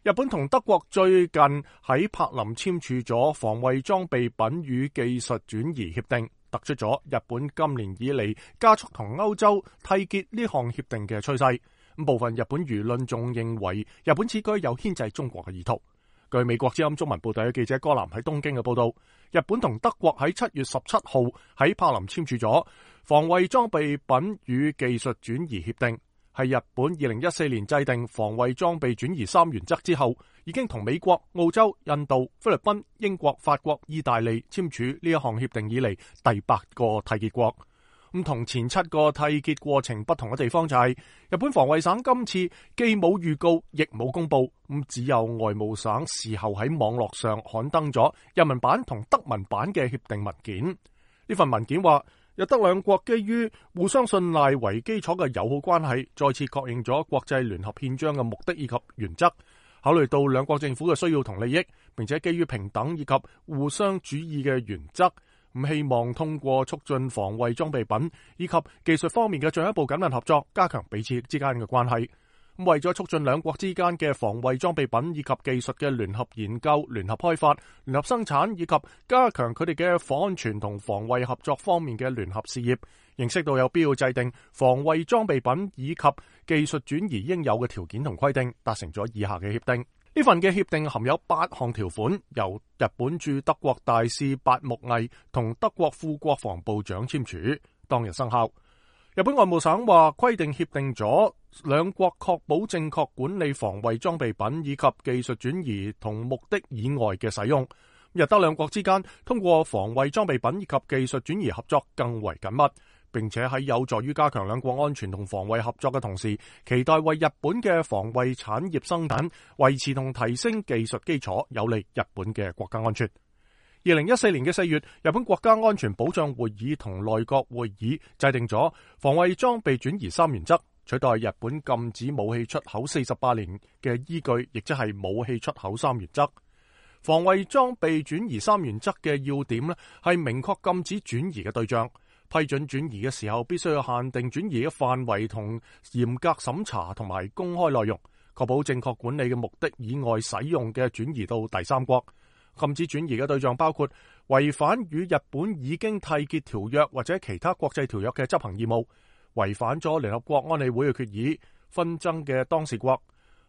日本同德國最近喺柏林簽署咗防衛裝備品與技術轉移協定，突出咗日本今年以嚟加速同歐洲締結呢項協定嘅趨勢。部分日本輿論仲認為日本此舉有牽制中國嘅意圖。據美國之音中文部隊嘅記者戈南喺東京嘅報道，日本同德國喺7月17號喺柏林簽署咗防衛裝備品與技術轉移協定，係日本2014年制定防衛裝備轉移3原則之後，已經同美國、澳洲、印度、菲律賓、英國、法國、意大利簽署呢一項協定以嚟第8個締結國。咁同前7個締結過程不同嘅地方就係，日本防衛省今次既冇預告，亦冇公布，咁只有外務省事後喺網絡上刊登咗日文版同德文版嘅協定文件。呢份文件話，日德兩國基於互相信賴為基礎嘅友好關係，再次確認咗國際聯合憲章嘅目的以及原則，考慮到兩國政府嘅需要同利益，並且基於平等以及互相主義嘅原則，咁希望通過促進防衛裝備品以及技術方面嘅進一步緊密合作，加強彼此之間嘅關係。咁為咗促進兩國之間嘅防衛裝備品以及技術嘅聯合研究、聯合開發、聯合生產以及加強佢哋嘅防安全同防衛合作方面嘅聯合事業，認識到有必要制定防衛裝備品以及技術轉移應有嘅條件同規定，達成咗以下嘅協定。呢份嘅協定含有8項條款，由日本駐德國大使八木毅同德國副國防部長簽署，當日生效。日本外務省話，規定協定咗兩國確保正確管理防衛裝備品以及技術轉移同目的以外嘅使用。日德兩國之間通過防衛裝備品以及技術轉移合作更為緊密，並且喺有助於加強兩國安全同防衛合作嘅同時，期待為日本嘅防衛產業生產維持同提升技術基礎，有利日本嘅國家安全。2014年嘅4月，日本國家安全保障會議同內閣會議制定咗防衛裝備轉移3原則，取代日本禁止武器出口48年嘅依據，亦即係武器出口3原則。防衛裝備轉移3原則嘅要點呢，係明確禁止轉移嘅對象，批准轉移嘅時候必須要限定轉移嘅範圍同嚴格審查同埋公開內容，確保正確管理嘅目的以外使用嘅轉移到第三國。禁止轉移嘅對象包括違反與日本已經締結條約或者其他國際條約嘅執行義務，違反咗聯合國安理會嘅決議，紛爭嘅當事國。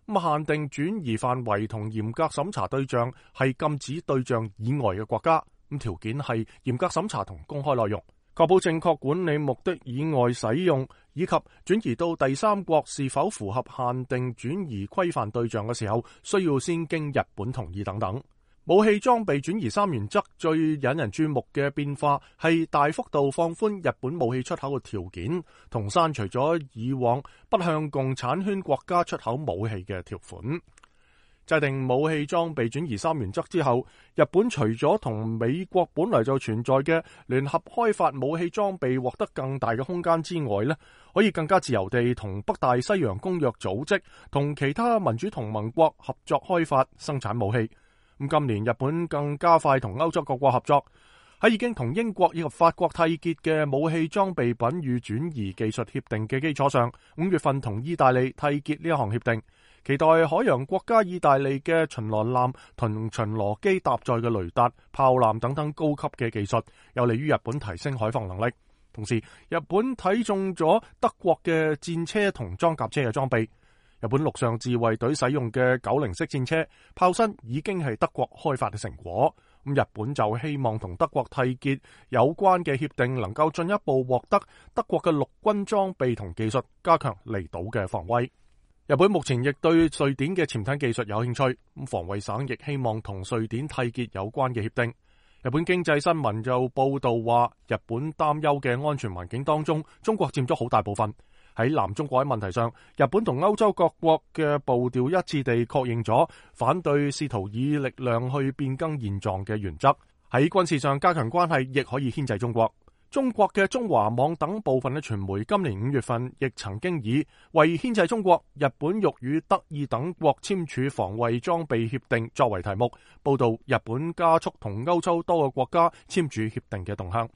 限定轉移範圍同嚴格審查對象係禁止對象以外嘅國家，條件係嚴格審查同公開內容，確保正確管理目的以外使用，以及轉移到第三國是否符合限定轉移規範對象嘅時候，需要先經日本同意等等。武器裝備轉移3原則最引人注目嘅變化係大幅度放寬日本武器出口嘅條件，同刪除咗以往不向共產圈國家出口武器嘅條款。制定武器裝備轉移3原則之後，日本除咗同美國本來就存在嘅聯合開發武器裝備獲得更大嘅空間之外呢，可以更加自由地同北大西洋公約組織同其他民主同盟國合作開發生產武器。今年日本更加快同歐洲各國合作，喺已經同英國以及法國締結嘅武器裝備品與轉移技術協定嘅基礎上，5月份同意大利締結呢一項協定，期待海洋國家意大利嘅巡邏艦同巡邏機搭載嘅雷達、炮艦等等高級嘅技術，有利於日本提升海防能力。同時，日本睇中咗德國嘅戰車同裝甲車嘅裝備。日本陸上自衛隊使用嘅90式戰車炮身已經係德國開發嘅成果，日本就希望同德國締結有關嘅協定，能夠進一步獲得德國嘅陸軍裝備同技術，加強離島嘅防衛。日本目前亦對瑞典嘅潛艇技術有興趣，防衛省亦希望同瑞典締結有關嘅協定。日本經濟新聞就報道話，日本擔憂嘅安全環境當中，中國佔咗好大部分。喺南中國喺問題上，日本同歐洲各國嘅步調一致地確認咗反對試圖以力量去變更現狀嘅原則。喺軍事上加強關係，亦可以牽制中國。中國嘅中華網等部分嘅傳媒今年5月份亦曾經以為牽制中國，日本欲與德意等國簽署防衛裝備協定作為題目，報道日本加速同歐洲多個國家簽署協定嘅動向。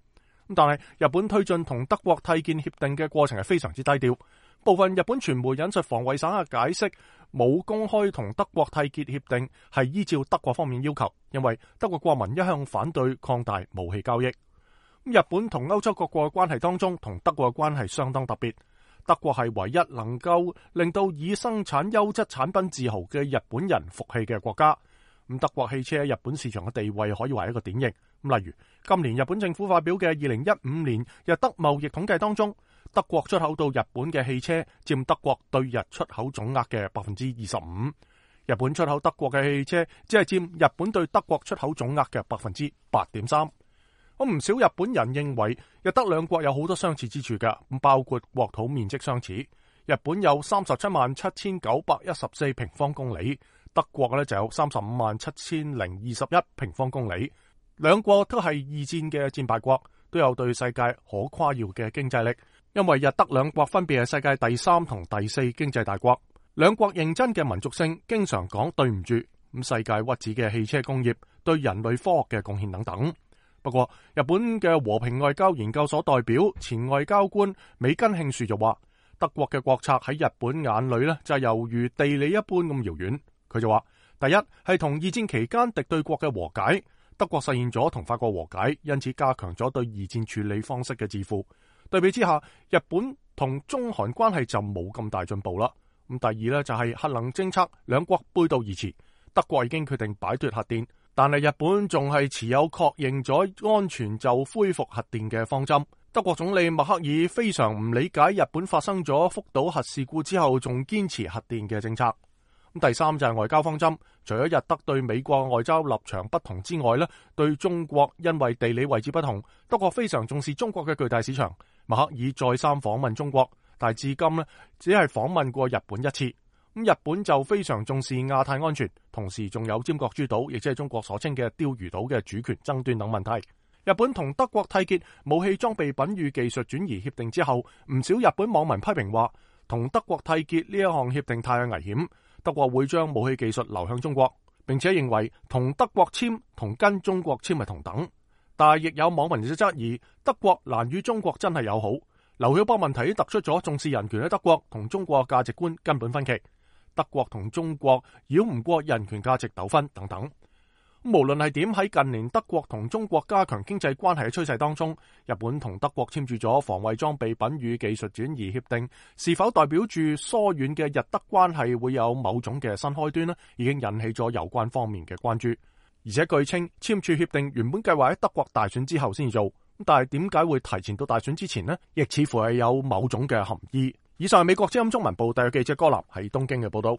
但係日本推進同德國締結協定嘅過程係非常之低調，部分日本傳媒引述防衛省嘅解釋，冇公開同德國締結協定係依照德國方面要求，因為德國國民一向反對擴大武器交易。日本同歐洲各國嘅關係當中，同德國嘅關係相當特別。德國係唯一能夠令到以生產優質產品自豪嘅日本人服氣嘅國家。德國汽車喺日本市場嘅地位可以話一個典型。例如今年日本政府發表嘅2015年日德貿易統計當中，德國出口到日本嘅汽車佔德國對日出口總額嘅 25%， 日本出口德國嘅汽車只係佔日本對德國出口總額嘅 8.3%。唔少日本人認為日德兩國有好多相似之處嘅，包括國土面積相似，日本有377914平方公里，德國咧就有357,021平方公里。兩國都係二戰嘅戰敗國，都有對世界可誇耀嘅經濟力，因為日德兩國分別係世界第3同第4經濟大國。兩國認真嘅民族性，經常講對唔住，世界屈指嘅汽車工業對人類科學嘅貢獻等等。不過，日本嘅和平外交研究所代表前外交官美根慶樹就話，德國嘅國策喺日本眼裏呢就係猶如地理一般咁遙遠。佢就話，第一係同二戰期間敵對國嘅和解，德國實現咗同法國和解，因此加強咗對二戰處理方式嘅自負。對比之下，日本同中韓關係就冇咁大進步啦。第二呢就係核能政策，兩國背道而馳，德國已經決定擺脫核電。但係日本仲係持有確認咗安全就恢復核電嘅方針。德國總理默克爾非常唔理解日本發生咗福島核事故之後仲堅持核電嘅政策。第三就係外交方針，除咗日德對美國外交立場不同之外，對中國因為地理位置不同，德國非常重視中國嘅巨大市場。默克爾再三訪問中國，但係至今只係訪問過日本一次。日本就非常重視亞太安全，同時仲有尖閣諸島，亦即係中國所稱嘅釣魚島嘅主權爭端等問題。日本同德國締結武器裝備品與技術轉移協定之後，唔少日本網民批評話，同德國締結呢一項協定太危險，德國會將武器技術流向中國，並且認為同德國簽同跟中國簽係同等。但係亦有網民就質疑，德國難與中國真係友好。劉曉波問題突出咗重視人權嘅德國同中國價值觀根本分歧。德國同中國繞唔過人權價值糾紛等等。無論係點，喺近年德國同中國加強經濟關係嘅趨勢當中，日本同德國簽署咗防衛裝備品與技術轉移協定，是否代表住疏遠嘅日德關係會有某種嘅新開端呢？已經引起咗有關方面嘅關注。而且據稱簽署協定原本計劃喺德國大選之後先至做，但係點解會提前到大選之前呢？亦似乎係有某種嘅含義。以上係美國之音中文部特約記者柯立喺東京嘅報道。